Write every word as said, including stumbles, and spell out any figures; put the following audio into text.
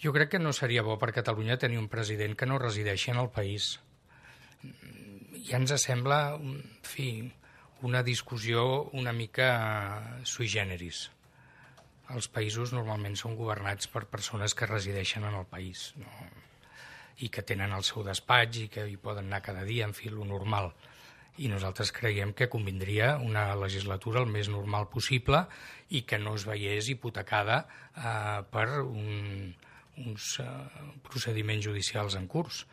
Jo crec que no seria bo per Catalunya tenir un president que no resideixi en el país. Ja ens sembla, en fi, una discussió una mica sui generis. Els països normalment són governats per persones que resideixen en el país, no? I que tenen el seu despatx i que hi poden anar cada dia, en fi, lo normal. I nosaltres creiem que convindria una legislatura el més normal possible i que no es veiés hipotecada eh, per un, uns eh, procediments judicials en curs.